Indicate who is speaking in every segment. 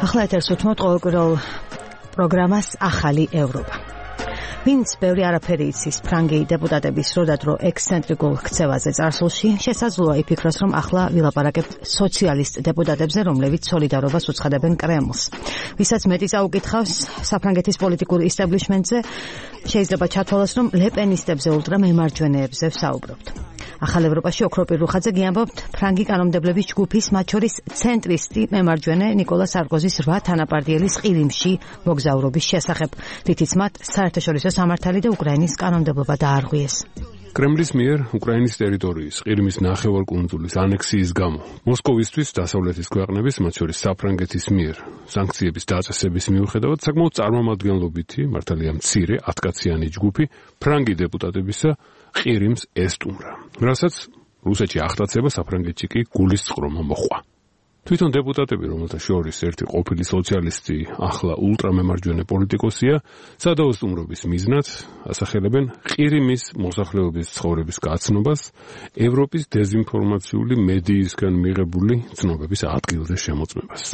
Speaker 1: ახლა ეთერს უთმობთ ყოველკვირეულ პროგრამას ახალი ევროპა. ვინც ბევრი არაფერი იცის ფრანგი დეპუტატების როდადრო ექსცენტრიკულ ქცევაზე წარსულში, შესაძლოა იფიქროს, რომ ახლა ვილაპარაკებთ სოციალისტ დეპუტატებზე, რომლებიც სოლიდარობას უცხადებენ კრემლს. ვისაც მეტი წაუკითხავს საფრანგეთის პოლიტიკურ ისტაბლიშმენტზე, შეიძლება ჩათვალოს, რომ ლეპენისტებზე ულტრამემარჯვენეებზე ვსაუბრობთ. ახალ ევროპაში ოქროპირ რუხაძე გიამბობთ ფრანგი კანონმდებლების ჯგუფის, მათ შორის ცენტრისტი მემარჯვენე ნიკოლა სარკოზის 8 თანაპარტიელის ყირიმში მოგზაურობის შესახებ, რითიც მათ საერთაშორისო სამართალი და უკრაინის კანონმდებლობა დაარღვიეს.
Speaker 2: კრემლის მიერ უკრაინის ტერიტორიის ყირიმის ნახევარკუნძულის ანექსიის გამო მოსკოვისთვის დასავლეთის ქვეყნების, მათ შორის საფრანგეთის მიერ სანქციების დაწესების მიუხედავად საკმაოდ წარმომადგენლობითი, მართალია მცირე 10-კაციანი ჯგუფი ფრანგი დეპუტატებისა ყირიმს ესტუმრა, რასაც რუსეთში ახტაცება, საფრანგეთში კი გულისწყრომა მოჰყვა. თვითონ დეპუტატები, რომელთა შორის ერთი ყოფილი სოციალისტი, ახლა ულტრამემარჯვენე პოლიტიკოსია, სადაოსტუმრობის მიზნად ასახელებენ ყირიმის მოსახლეობის ცხოვრების გაცნობას, ევროპის დეზინფორმაციული მედიისგან მიღებული ცნობების ადგილზე შემოწმებას.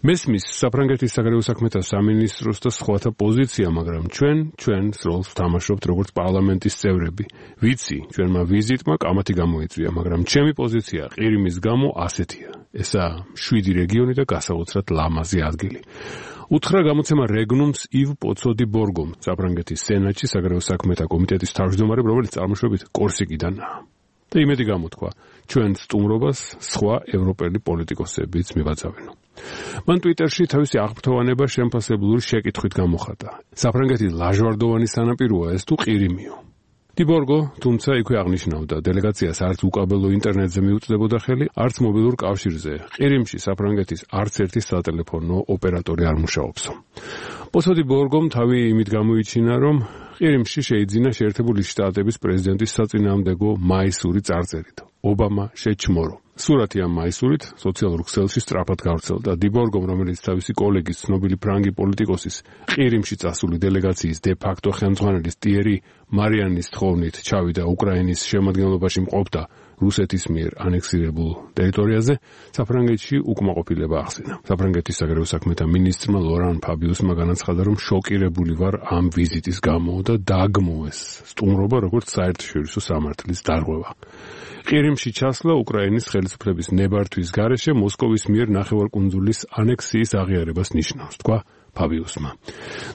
Speaker 2: მესმის საფრანგეთის საგარეო საქმეთა სამინისტროს და სხვათა პოზიცია, მაგრამ ჩვენს როლს ვთამაშობთ როგორც პარლამენტის წევრები. ვიცი, ჩვენმა ვიზიტმა კამათი გამოიწვია, მაგრამ ჩემი პოზიცია ყირიმის გამო ასეთია. ესაა 7 რეგიონი და გასაოცრად ლამაზი ადგილი. უთხრა გამოცემა რეგნუმს ივ პოცოდი ბორგომ, საფრანგეთის სენატში საგარეო საქმეთა კომიტეტის თავმჯდომარემ, რომელიც წარმოშობით კორსიკიდანაა. და იმედი გამოთქვა, ჩვენ სტუმრობას სხვა ევროპელი პოლიტიკოსებიც მივაწავენო. მან ტვიტერში თავისი აღფრთოვანება შემფასებლური შეკითხვით გამოხატა. საფრანგეთის ლაჟვარდოვანი სანაპიროა ეს თუ ყირიმიო? დიბორგო, თუმცა იქვე აღნიშნავდა, დელეგაციას არც უკაბელო ინტერნეტზე მიუწდებოდა ხელი, არც მობილურ კავშირზე. ყირიმში საფრანგეთის არც ერთი სატელეფონო ოპერატორი არ მუშაობსო. პოცოდი ბორგომ თავი იმით გამოიჩინა, რომ ყირიმში შეიძინა შეერთებული შტატების პრეზიდენტის საწინააღმდეგო მაისური წარწერით. ობამა შეჩმორო. სურათი ამ მაისურით სოციალურ ქსელში სწრაფად გავრცელდა. დიბორგომ, რომელიც თავისი კოლეგის, ცნობილი ფრანგი პოლიტიკოსის ყირიმში წასული დელეგაციის დე-ფაქტო ხელმძღვანელის ტიერი მარიანის თხოვნით ჩავიდა უკრაინის შემადგენლობაში მყოფდა რუსეთის მიერ ანექსირებულ ტერიტორიაზე, საფრანგეთში უკმაყოფილება ახსენა. საფრანგეთის საგარეო საქმეთა მინისტრმა ლორან ფაბიუსმა განაცხადა, რომ შოკირებული ვარ ამ ვიზიტის გამო და დააგმოვეს სტუმრობა როგორც საერთაშორისო სამართლის დარღვევა. ყირიმში ჩასვლა უკრაინის ხელისუფლების ნებართვის გარეშე მოსკოვის მიერ ნახევარკუნძულის ანექსიის აღიარებას ნიშნავს, თქვა ფაბიუსმა.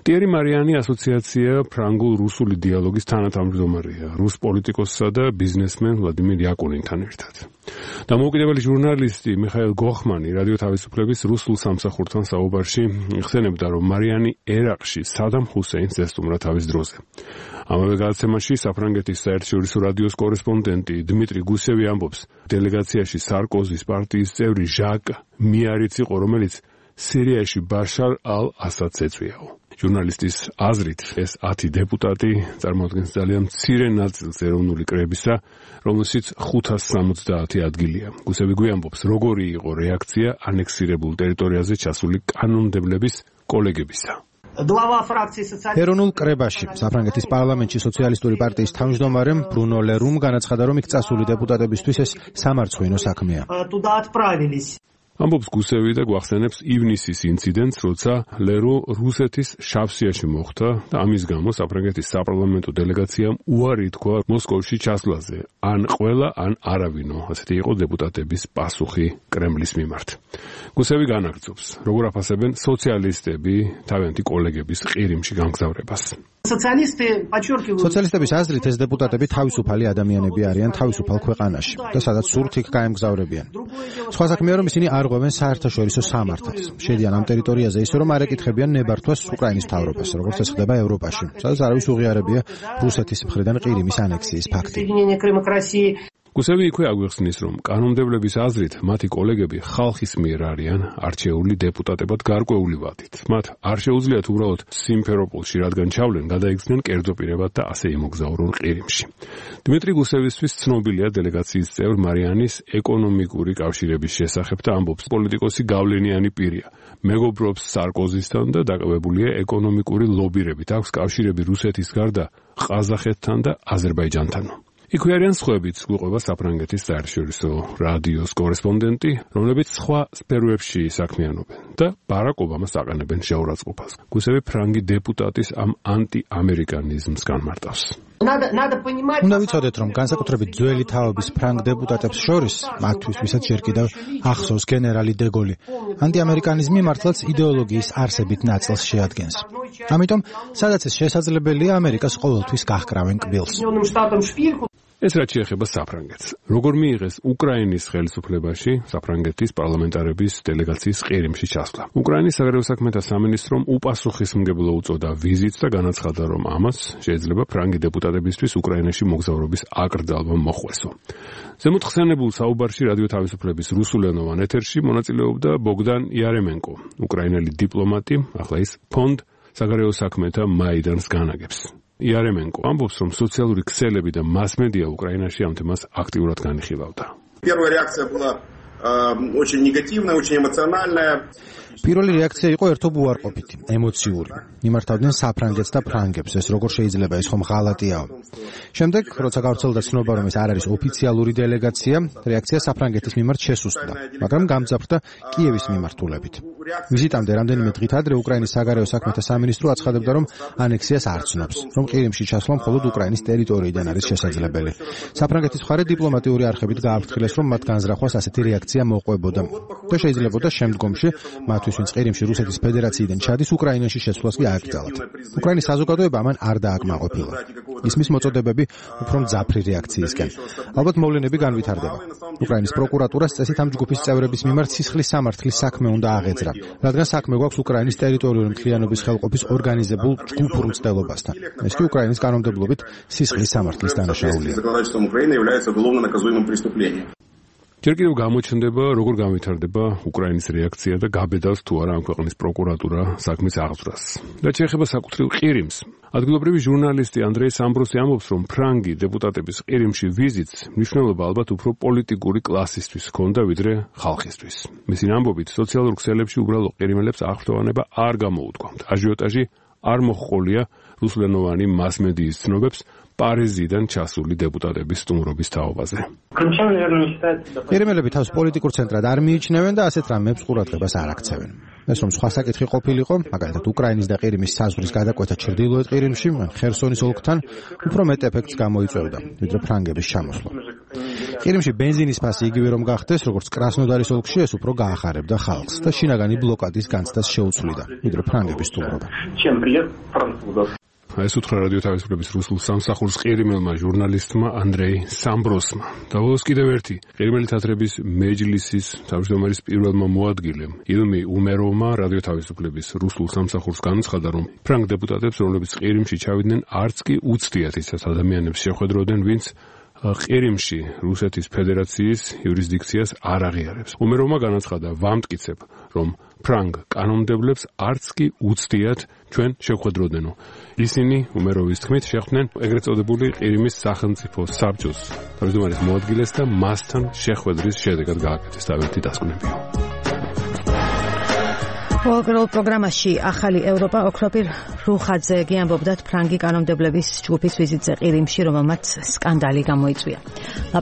Speaker 2: ტიერი მარიანი ასოციაცია ფრანგულ-რუსული დიალოგის თანათავმჯდომარეა, რუს პოლიტიკოსსა და ბიზნესმენ ვლადიმირ იაკუნინთან ერთად. დამოუკიდებელი ჟურნალისტი მიხაილ გოხმანი რადიო თავისუფლების რუსულ სამსახურთან საუბარში იხსენებდა, რომ მარიანი ერაყში სადამ ჰუსეინს ესტუმრა თავის დროზე. ამავე გადაცემაში საფრანგეთის საერთაშორისო რადიოს კორესპონდენტი დმიტრი გუსევი ამბობს, დელეგაციაში სარკოზის პარტიის წევრი ჟაკ მიარიც იყო, რომელიც სირიაში ბაშარ ალ-ასადს ეწვიაო. ჟურნალისტის აზრით, ეს 10 დეპუტატი წარმოადგენს ძალიან მცირე ნაწილს ეროვნული კრებისა, რომელშიც 570 ადგილია. გუსევი გვიამბობს, როგორი იყო რეაქცია ანექსირებულ ტერიტორიაზე ჩასული კანონმდებლების კოლეგებისა.
Speaker 3: ეროვნულ კრებაში საფრანგეთის პარლამენტში სოციალისტური პარტიის თავმჯდომარემ ბრუნო ლერუმ განაცხადა, რომ იქ წასული დეპუტატებისთვის ეს სამარცხვინო საქმეა.
Speaker 2: ამბობს გუსევი და გვახსენებს ივნისის ინციდენტს, როცა ლერუ რუსეთის შავსიაში მოხვდა და ამის გამო საფრანგეთის საპარლამენტო დელეგაციამ უარი თქვა მოსკოვში ჩასვლაზე. ან ყველა, ან არავინო, ასეთი იყო დეპუტატების პასუხი კრემლის მიმართ. გუსევი განაგრძობს, როგორ აფასებენ სოციალისტები თავიანთი კოლეგების ყირიმში გამგზავრებას.
Speaker 3: სოციალისტების აზრით, ეს დეპუტატები თავისუფალი ადამიანები არიან თავისუფალ ქვეყანაში და სადაც სურთ იქ გაემგზავრებიან. სხვა საქმეა, რომ ისინი არ ღვევენ საერთაშორისო სამართალს. შედიან ამ ტერიტორიაზე ისე, რომ არ ეკითხებიან ნებართვას უკრაინის მთავრობას, როგორც ეს ხდება ევროპაში, სადაც არავის უღიარებია რუსეთის მხრიდან ყირიმის ანექსიის ფაქტი.
Speaker 2: გუსევი იქვე აგვიხსნის, რომ კანონმდებლების აზრით მათი კოლეგები ხალხის მიერ არიან არჩეული დეპუტატებად გარკვეული ვადით. მათ არ შეუძლიათ უბრალოდ სიმფეროპოლში რადგან ჩავლენ, გადაიქცნენ კერძო პირებად და ასე იმოგზაურონ ყირიმში. დმიტრი გუსევისთვის ცნობილია დელეგაციის წევრ მარიანის ეკონომიკური კავშირების შესახებ და ამბობს, პოლიტიკოსი გავლენიანი პირია. მეგობრობს სარკოზისთან და დაკავებულია ეკონომიკური ლობირებით. აქვს კავშირები რუსეთის გარდა ყაზახეთთან და აზერბაიჯანთან. იქვე არიან სხვაებიც, გვიყვება საფრანგეთის საერთაშორისო რადიოს კორესპონდენტი, რომლებიც სხვა სფეროებში საქმიანობენ და ბარაკ ობამას აყენებენ შეურაცხყოფას. გუსევი ფრანგი დეპუტატის ამ ანტიამერიკანიზმს განმარტავს.
Speaker 3: უნდა ვიცოდეთ, რომ განსაკუთრებით ძველი თაობის ფრანგ დეპუტატებს შორის, მათთვის ვისაც ჯერ კიდევ ახსოვს გენერალი დე გოლი, ანტიამერიკანიზმი მართლაც იდეოლოგიის არსებით ნაწილს შეადგენს. ამიტომ, სადაც ეს შესაძლებელია, ამერიკას ყოველთვის გაჰკრავენ კბილს.
Speaker 2: ეს რაც შეეხება საფრანგეთს. როგორ მიიღეს უკრაინის ხელისუფლებაში საფრანგეთის პარლამენტარების დელეგაციის ყირიმში ჩასვლა. უკრაინის საგარეო საქმეთა სამინისტრომ უპასუხისმგებლო უწოდა ვიზიტს და განაცხადა, რომ ამას შეიძლება ფრანგი დეპუტატებისთვის უკრაინაში მოგზაურობის აკრძალვა მოხვესო. ზემოთ ხსენებულ საუბარში რადიო თავისუფლების რუსულენოვან ეთერში მონაწილეობდა ბოგდან იარემენკო, უკრაინელი დიპლომატი, ახლა ის ფონდ საგარეო საქმეთა მაიდანს განაგებს. იარემენკო ამბობს, რომ სოციალური ქსელები და მასმედია უკრაინაში ამ თემას აქტიურად განიხილავდა.
Speaker 4: Первая реакция была очень негативная, очень эмоциональная.
Speaker 3: პირველი რეაქცია იყო ერთობ უარყოფითი, ემოციური. იმართავდნენ საფრანგეთს და ფრანგებს, ეს როგორ შეიძლება, ეს ხომ ღალატიაო. შემდეგ, როცა გავრცელდა ცნობა, რომ ეს არ არის ოფიციალური დელეგაცია, რეაქცია საფრანგეთის მიმართ შესუსტდა, მაგრამ გამძაფრდა კიევის მიმართულებით. ვიზიტამდე რამდენიმე დღით ადრე უკრაინის საგარეო საქმეთა სამინისტრო აცხადებდა, რომ ანექსიას არ ცნობს, რომ ყირიმში ჩასვლა მხოლოდ უკრაინის ტერიტორიიდან არის შესაძლებელი. საფრანგეთის მხარე დიპლომატიური არხებით გააფრთხილეს, რომ მათ განზრახვას ასეთი რეაქცია მოყვებოდა და შეიძლებოდა შემდგომში მათთვის, ვინც ყირიმში რუსეთის ფედერაციიდან ჩადის, უკრაინაში შეცვლას კი ააკრძალათ. უკრაინის საზოგადოება ამან არ დააკმაყოფილა. ისმის მოწოდებები უფრო მძაფრი რეაქციისკენ. ალბათ მოვლენები განვითარდება. უკრაინის პროკურატურას წესით ამ ჯგუფის წევრების მიმართ სისხლის სამართლის საქმე უნდა აღეძრა, რადგან საქმე გვაქვს უკრაინის ტერიტორიული მთლიანობის ხელყოფის ორგანიზებულ ჯგუფურ მცდელობასთან. ეს კი უკრაინის კანონმდებლობით სისხლის სამართლის დანაშაულია.
Speaker 2: ჯერ კიდევ გამოჩნდება, როგორ განვითარდება უკრაინის რეაქცია და გაბედავს თუ არა ამ ქვეყნის პროკურატურა საქმის აღძვრას. რაც შეეხება საკუთრივ ყირიმს, ადგილობრივი ჟურნალისტი ანდრეი სამბროსი ამბობს, რომ ფრანგი დეპუტატების ყირიმში ვიზიტს მნიშვნელობა ალბათ უფრო პოლიტიკური კლასისთვის ჰქონდა, ვიდრე ხალხისთვის. მისი ამბობით, სოციალურ ქსელებში უბრალო ყირიმელებს აღფრთოვანება არ გამოუდგამთ. აჟიოტაჟი არ მოჰყოლია რუსულენოვანი მასმედიის ცნობებს პარიზიდან ჩასული დეპუტატების სტუმრობის თაობაზე.
Speaker 3: ყირიმელები თავს პოლიტიკურ ცენტრად არ მიიჩნევენ და ასეთ რამებს ყურადღებას არ აქცევენ. ეს რომ სხვა საკითხი ყოფილიყო, მაგალითად უკრაინის და ყირიმის საზღვრის გადაკვეთა ჩრდილოეთ ყირიმში, ხერსონის ოლქთან უფრო მეტ ეფექტს გამოიწვევდა, ვიდრე ფრანგების ჩამოსვლა. ყირიმში ბენზინის ფასი იგივე რომ გახდეს, როგორც კრასნოდარის ოლქში, ეს უფრო გაახარებდა ხალხს და შინაგანი ბლოკადის განცდას შეუცვლიდა, ვიდრე ფრანგების სტუმრობა.
Speaker 2: ეს უთხრა რადიო თავისუფლების რუსულ სამსახურს ყირიმელმა ჟურნალისტმა ანდრეი სამბროსმა. დავოლოს კიდევ ერთი ყირიმელი თათრების მეჯლისის თავმჯდომარის პირველმა მოადგილემ ილმი უმეროვმა რადიო თავისუფლების რუსულ სამსახურს განაცხადა, რომ ფრანგ დეპუტატებს, რომლებიც ყირიმში ჩავიდნენ, არც კი უცდიათ ისეთ ადამიანებს შეხვედროდნენ, ვინც ყირიმში რუსეთის ფედერაციის იურისდიქციას არ აღიარებს. უმეროვმა განაცხადა, ვამტკიცებ, რომ ფრანგ კანონმდებლებს არც კი უცდიათ ჩვენ შევხვედროდნენო. ისინი უმეროვის თქმით შეხვდნენ ეგრეთ წოდებული ყირიმის სახელმწიფო საბჭოს თავმჯდომარის მოადგილეს და მასთან შეხვედრის შედეგად გააკეთეს თავისი დასკვნებიო.
Speaker 1: მოგრულ პროგრამაში ახალი ევროპა ოქროპირ რუხაძე გიამბობდათ ფრანგი კანონმდებლების ჯგუფის ვიზიტზე ყირიმში, რომელმაც სკანდალი გამოიწვია.